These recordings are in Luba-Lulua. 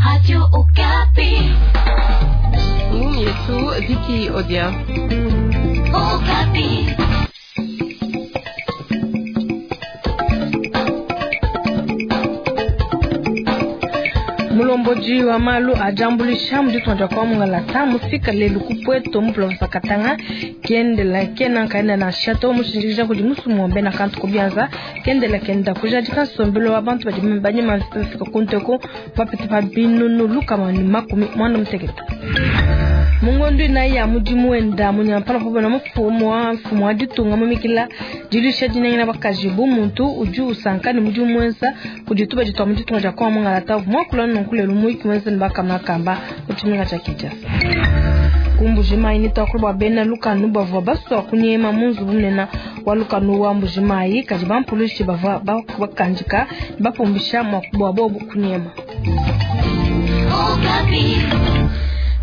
Radio Okapi. Ngumu yetu Viki Odia. Okapi. Mulombodi wa malu a diambuluisha mu ditunga dia kwa mungalata mufika lelu ku Pweto mu province Katanga kendela kena nkaenda na shato mushindikija kudi musumu wa bena kantu kubianza kendela kenda kujadika nsombelo wa bantu badi banyema mvita bafika kunteko bapete pa binunu lukama ne makumi mwanda mutekete. Mu ngondu inayi ya mudimu wenda munyampala pa mufumu wa mfumu wa ditunga mumikila diluisha dinangila bakaji bu muntu udi usanka ne mudimu muenza kudi tubadi tua mu ditunga dia kwa mungalata muakula nunku lelu muyiki muenza ne bakamakamba mu tshimenga tshia Kinshasa. Ku Mbujimayi ne tuakula bua bena lukanu bavua basua kunyema mu nzubu munene wa lukanu wa Mbujimayi, kadi bampulushi bavua bakandika ne bapumbisha bua bobu kunyema.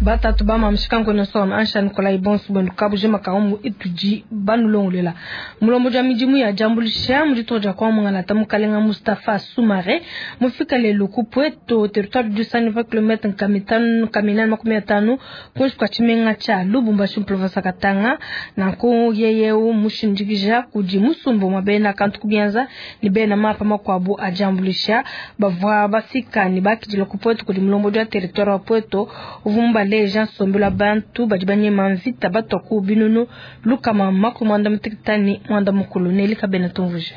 Batatu ba mamushika nkone soma ansha Nikolai Bonsu bwenu kabujima kaumbu itudi banulongolela. Mulombodi wa midimu ya diambuluisha mu ditunga dia kwa mungalata mukalenga Mustapha Soumare mufika lelu ku Pweto territoire du 120 km nkamitanu nkaminane makumi atanu kuinshi kua tshimenga tshia Lubumbashi mu province ya Katanga. Nanku yeyeu mushindikija kudi musumba wa bena kantu kubianza ne bena mapa makuabu a diambuluisha bavua bafika ne bakidila ku Pweto kudi mulombodi wa territoire wa Pweto uvua mubaleja nsombelu wa bantu badi banyema mvita batua ku binunu lukama makumi muanda mutekete ne muanda mukulu. Nelly Kabena tumvuje.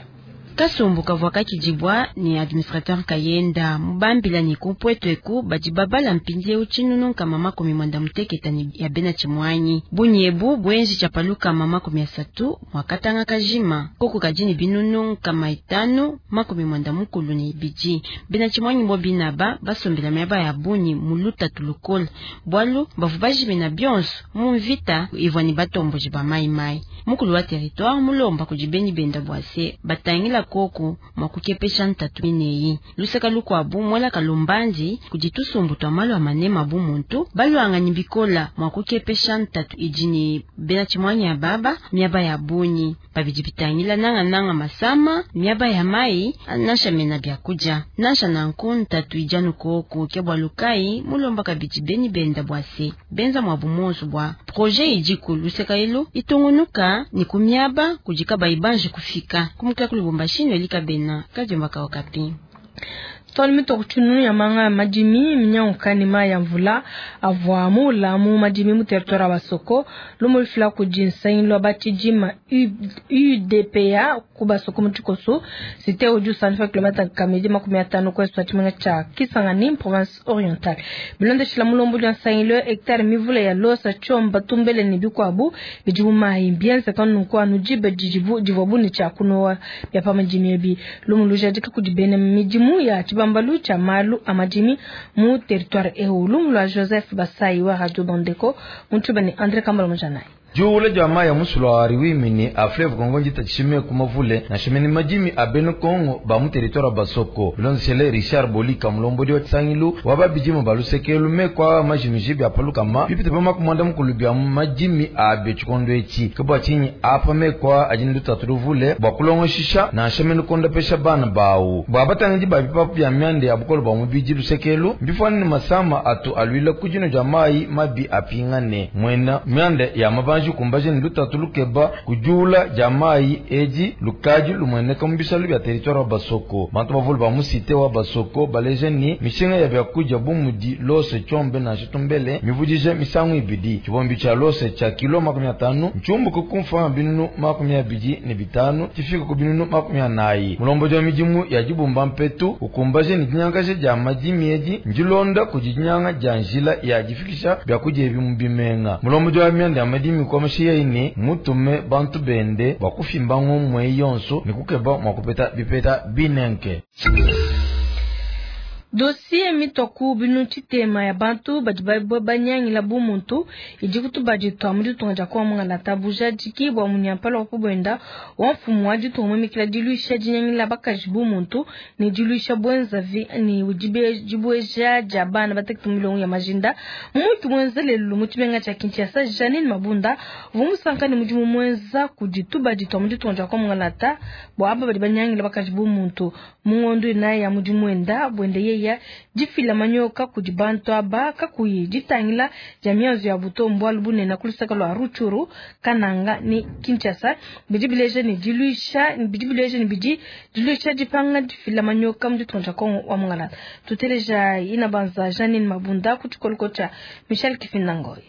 Kasumbu kavua kakidibua ne administrateur kayenda mubambila ne ku Pweto eku badi babala mpindieu tshinunu nkama makumi muanda mutekete ne ya bena tshimuanyi. Bunyebu buenji tshia pa lukama makumi asatu mua katanga kajima koku kadi ne binunu nkama itanu makumi muanda mukulu ne ibidi. Bena tshimuanyi bo binaba basombela miaba ya bunyi mu lutatu lukola bwalu bavu bajimina bionso mu mvita ivua ne batomboji ba mai-mai. Mukulu wa territoire mulomba kudi beni benda bua se batangila koku mwa kukepesha ntatu mineyi. Luseka lukuabu mwela kalumbandi kudi tusumbu twa malu a manema bu muntu balwanganyi bikola mwa kukepesha ntatu idi ne bena tshimuanyi ya baba miaba ya bunyi babidi bitangila nanga nanga masama miaba ya mai nansha mena byakudia nansha nanku ntatu ijanu koku ke bwa lukai mulomba kabidi beni benda bua se benza mwa bumonso bua projet idi ku luseka elu itungunuka ni ku miaba kudi kabayi banji kufika kumukila ku Lubumbashi Nelly Kabena kadiomba ka Okapi. Tole mitoku tshinunu ya manga ya madimi minyanguka ne mayi ya mvula avua muula mu madimi mu territoire wa Basoko lumu lufila kudi nsangilu wa batshidima UDPA ku Basoko mu tshikoso cité udi usandifa kilomètre kamidi makumi atanu ku est wa tshimenga tshia Kisangani province orientale. Bilondeshila mulombodi wa nsangilu hectare mivula ya losa tshiomba tumbele ne bikuabu bidi mu mayi mbienzeka nunku anu diba didibu divuabu ne tshia kunowa bia pa madimi ebi. Lumu lujadika kudi bena midimu ya tshibambalu tshia malu a madimi mu territoire eu. Lumu lua Joseph Basai wa Radio Bandeko mutshiba ne André Kambala Mujanai. Juula dia mayi a musulu wa Riwimini a fleuve Congo njita tshime ku mavule na shimeni madimi a bena Congo ba mu territoire wa Basoko. Bilondeshele Richard Bolika mulombodi wa tshisangilu wa babidima ba lusekelu mekwa majimiji bia palukama bipite pa makumi muanda mukulu bia madimi a bia tshikondo etshi. Ke bua tshinyi apa mekwa adi ne lutatu luvule bua kulongoshisha nansha mene kondopesha bana bawu. Bua batangidi ba bipapu bia mianda ya bukole bua mubidi lusekelu mbifuane ne masama atu aluila ku dino dia mayi mabi apingane mwena mianda ya mabanji kumbaje ni lutatu lukeba kujula dia mayi edi lukadi lumweneka mu bisalu bia territoire wa Basoko. Bantu bavule ba mu cité wa Basoko baleje ni mishinga ya byakudia bu mudi lose tshombe na tshitumbele mivudije misangu ibidi. Tshibombi tshia lose tshia kilo makumi atanu ntshiumbuka ku mfanga binunu makumi abidi ne bitanu tshifika ku binunu makumi anayi. Mulombodi wa midimu ya dibumba mpetu ukumbaje ni dinyangaje dia madimi edi ndilonda kudi dinyanga dia njila ya difikisha byakudia ebi mu bimenga. Mulombodi wa mianda ya madimi kwa mashiya ine mutume bantu bende bakufimba ngomwe yonso ni kukeba mwakupeta bipeta binenke. Dossier mitoku binu tshitema ya bantu badi banyangila bu muntu idi kutubadi twa mu ditunga dia kwa mungalata bujadiki bua munyampala wa kubwenda wa mfumu wa ditunga mumikila diluisha dinyangila bakaji bu muntu ne diluisha bwenzavi ne dibueja dia bana batekete milongo ya majinda. Mumuki mwenza lelu mu tshimenga tshia Kinshasa Janine Mabunda uvua musanka ne mudimu mwenza kudi tubadi twa mu ditunga dia kwa mungalata bua aba badi banyangila bakaji bu muntu mu ngondo inayi ya mudimu wenda bwende. yeya difila manyoka kudi bantu aba kakuyi ditangila dia mianzu ya buto mbualu bunene ku luseke lua Rutshuru, Kananga ne Kinshasa. Bidi bileja ne diluisha bidi bileja ne bidi diluisha dipanga difila manyoka mu ditunga dia Kongo wa Mungalata. Tuteleja Inabanza Janine Mabunda ku tshikoloko tshia Michel Kifinda Ngoy.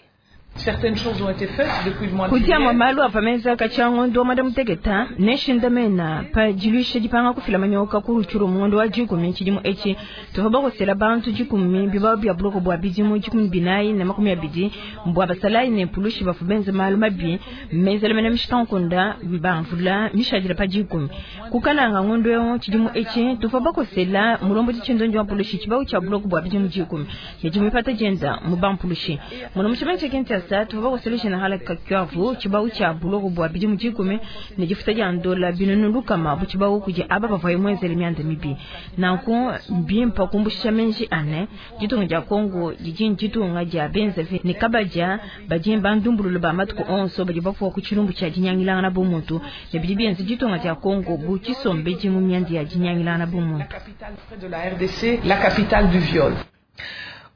Kudi amue malu avua menza katshia ngondo wa muanda mutekete ne nshindamena pa diluisha dipanga kufila manyoka ku Rutshuru mu ngondo wa dikumi tshidimu etshi. Tuvua bakosela bantu dikumi bibawu bia buloko bua bidimu 14 ne 20 bua basalayi ne mpulushi bavua benze malu mabi menzela mena mishikankunde ba mvula mishadile pa dikumi. Ku Kananga ngondo eu tshidimu etshi tuvua bakosela mulombodi tshindondi wa mpulushi tshibawu tshia buloko bua bidimu 10 ne dimupata dienda mu bampulushi. Muno mu tshimenga tshia Kinshasa tuvua bakosela General Kakwavu tshibawu tshia buloko bua bidimu 10 ne difuta dia ndola 300 bu tshibawu kudi aba bavua muenzele mianda mibi. Nanku mbimpa kumbusha menji ane ditunga dia Kongo didi ditunga dia benzavi ne kabadia badi bandumbululu ba matuku onso badi bafuwa ku tshilumbu tshia dinyangilangana bu muntu ne bidi bienza ditunga dia Kongo bu tshisombedi mu mianda ya dinyangilangana bu muntu. La capitale du viol.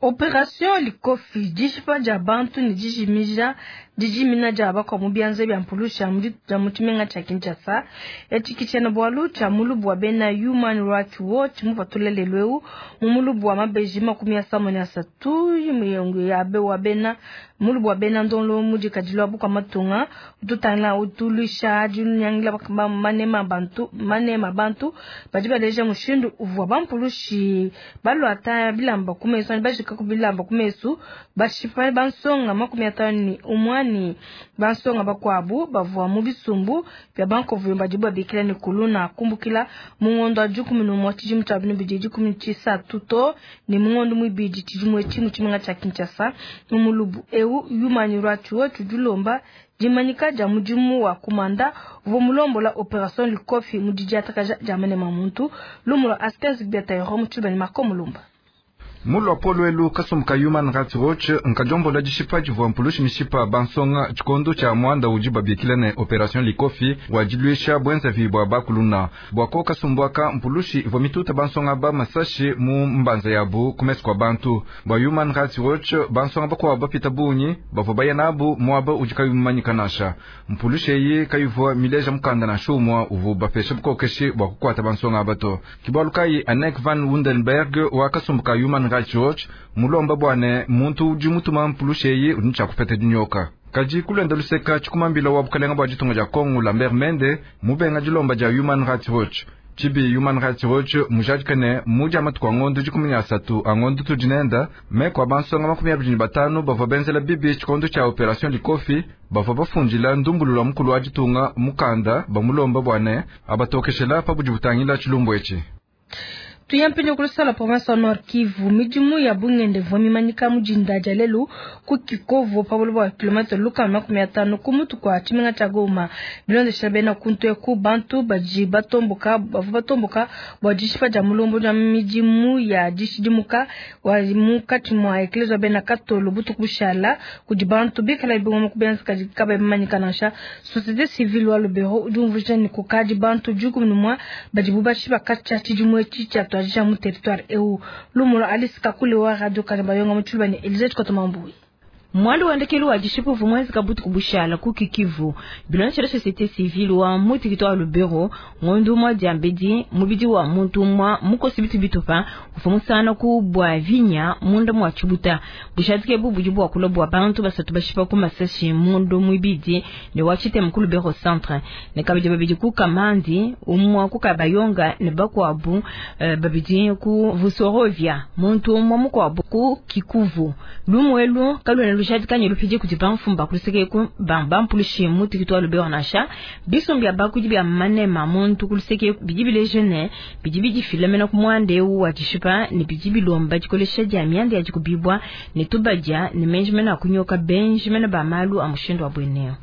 Opération Likofi dishipa dia bantu ne dijimija dijimina dia bakwa mu bianza bia mpulusha mu mu tshimenga tshia Kinshasa. Etshi tshiena-bualu tshia mulubu wa bena Human Rights Watch mupatula lelu eu mu mulubu wa mabeji 33 muyongo ya be wa bena mulubu wa bena ndonlo mudikadilo wa bukwa matunga ututangila utuluisha dinyangila manema bantu manema bantu badi baleja mushindu uvua bampulushi balwata bilamba ku mesu bajika ku bilamba ku mesu bashipa bansonga 51 ni bansonga bakwabu bavua mu bisumbu bya bankovu badi babikila ne kuluna kumbukila mu ngondo wa 11 tshidimu tshia 2013 to ne mu ngondo mwibidi tshidimu etshi mu tshimenga tshia Kinshasa. Mu mulubu eu Human Rights Watch dilomba dimanyika dia mudimu wa kumanda uvua mulombola Opération Likofi mu didiatakaja dia manema muntu lumu lwa Askens Biatayoro mu tshibani Marco Mulumba. Mulwa polwelu kasumbuka Human Rights Watch nkajombola dishipa divua mpulushi mishipa bansonga tshikondo tshia mwanda udi babikila ne Operation Likofi wa diluisha bwenzavi bua bakuluna. Bua kasumbuaka mpulushi ivua mituta bansonga ba masashi mu mbanza yabu kumesu kua bantu. Bua Human Rights Watch bansonga bakuabu bapita bungi bavua baya nabu muaba udi kayumanyika nansha. Mpulushi eyi kayivua mileja mukanda nansha umua uvua bapesha bukokeshi bua kukuata bansonga aba to. Kibualu kayi Anneke van Wundenberg wa kasumbuka Human Rights Watch mulomba bwane muntu udi mutuma mpulushi eyi udi tshia dinyoka. Kadi kulenda luseka tshikumambila wa bukalenga bua ditunga dia Kongo Lambert Mende mubenga dilomba dia Human Rights Watch. Tshibi Human Rights Watch mujadika ne mudi amatuku a ngondo 13 a ngondo tudinenda meko a bansonga 25 bavua benzela bibi tshikondo tshia Operation Likofi bavua bafundila ndumbulula mukulu wa ditunga mukanda bamulomba bwane abatokeshela pa budi butangila tshilumbu etshi. Tuyampinyo kulusala province wa Nord Kivu midimu ya bungende vwa mimanyika mujinda dia lelu ku Kikovo pa buloba bua kilomètre 50 ku mutu kua tshimenga tshia Goma. Bilondeshela bena kuntu eku bantu badi batomboka bavua batomboka bua dishipa dia mulombo dia midimu ya dishidimuka wa munkatshi mua eklezia bena katolo butuku bushala kudi bantu bikala bingoma kubenza kadi kabayi bimanyika nansha. Société civile wa Lubero udi umvuija ne kukadi bantu 11 badibu bashipa katshia tshidimu etshi tshia twaja mu territoire eu. Lumulo Alice Kakule wa Radio Kanabayonga mu ne Elisabeth Kotomambui. Mwandu wandekelu wa dishipu vumwezi kabutu kubushala ku Kikivu. Bilonshela société civile wa mutikito wa Lubero ngondu mwa diambedi mubidi wa muntu mwa mukosi bitu bitupa ufumusana ku bwa vinya munda mwa chibuta. Bushatike bu bujibu wa kulo bwa bantu basatu bashipa ku masashi mundu mwibidi ne wachite mkulu Lubero centre. Ne kabidi babidi ku Kamandi umwa ku Kabayonga ne bakwabu babidi ku Vusorovia muntu mwa mukwabu ku Kikuvu. Lumwelu kalwena jadikanye lupije kuti bamfumba kuluseke ku bambampulushi mutikito wa Lubero nasha bisumbi abakudi bya manema muntu kuluseke bidibile jeune bidibidi filamena ku mwande wa dishipa ne bidibilomba dikolesha dia miande ya dikubibwa ne tubadia ne menjimena kunyoka benjimena ba malu a mushindo wa bweneo.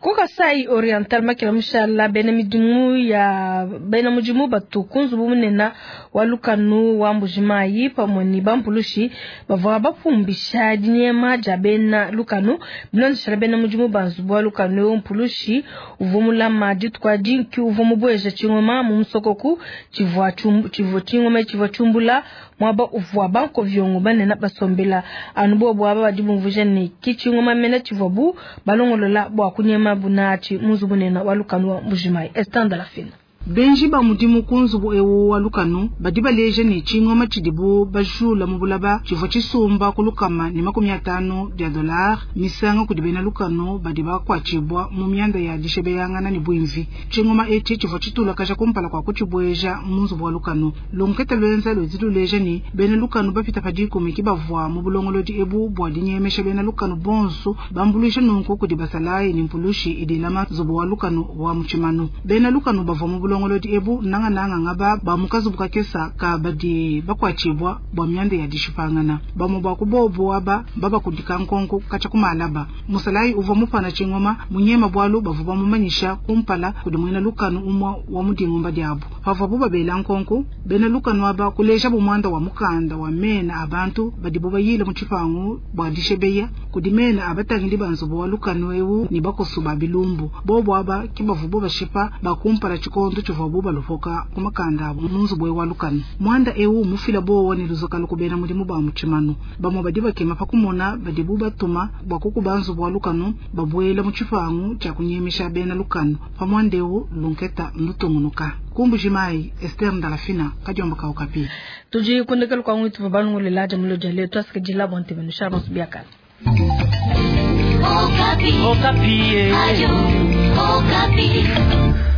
Ku Kasai Oriental makela mushala bena midimu ya bena mudimu batu ku nzubu munene wa lukanu wa Mbujimayi pamue ne bampulushi bavua bapumbisha dinyema dia bena lukanu. Bilondeshela bena mudimu ba nzubu wa lukanu eu, mpulushi uvua mulama dituku adi nki uvua mubueja tshingoma mu musokoku tshivua tshivua tshingoma tshivua tshiumbula muaba uvua bankoviongo banene basombela. Anu bobu aba badi bumvuija ne ki tshingoma mena tshivuabu balongolola bua kunyema bunatshi mu nzubu munene wa lukanu wa Mbujimayi. Esther Ndalafina. Benji ba mudimu ku nzubu ewu wa lukanu badi baleja ne tshingoma tshidibu bajula mu bulaba tshivua tshisumba ku 150 dia dollar misanga kudi bena lukanu badi bakuatshibua mu mianda ya dishebeyangana ne bwimvi. Tshingoma etshi tshivua tshitulakaja kumpala kua kutshibueja mu nzubu wa lukanu. Lunketa lwenza ludi luleja ne bena lukanu bapita pa 10 ki bavua mu bulongolodi ebu bua dinyemesha bena lukanu bonso bambuluisha nunku kudi basalayi ne mpulushi idilama nzubu wa lukanu wa mutshimanu. Bena lukanu bavua mu bulongolodi ebu nangananga ngaba ba mukazubu kakesa ka badi bakuatshibua bua mianda ya dishipangana. Bamue bua kubobo aba babakudika nkonko katsha kumalaba. Musalayi uvua mupana tshingoma munyema bualu bavua bamumanyisha kumpala kudi muena lukanu umua wa mudingumba diabu. Pavuabu babela nkonko bena lukanu aba kuleja bumuanda wa mukanda wa mena a bantu badibu bayile mu tshipangu bua dishebeya kudi mena abatangili ba nzubu wa lukanu eu ne bakosu ba bilumbu. Bobo aba ki bavubo bashipa bakumpala tshikondo tshivuabu balopoka ku makanda abu mu nzubu wa lukanu. Mwanda eu mufila bowa ne luzakalu ku bena mudimu ba mutshimanu. Bamue badi bakema pa kumona badibu batuma bua kukuba nzubu wa lukanu babuela mu tshipangu tshia kunyemisha bena lukanu. Pa mwanda eu lunketa lutungunuka. Kumbujimayi Esther Ndalafina kadiomba ka Okapi. Tudi kundekela kwa ngwitu balungulela jamulo jale twasikidila bonte benu sha bonso biakala. Okapi. Okapi. Ayo, Okapi.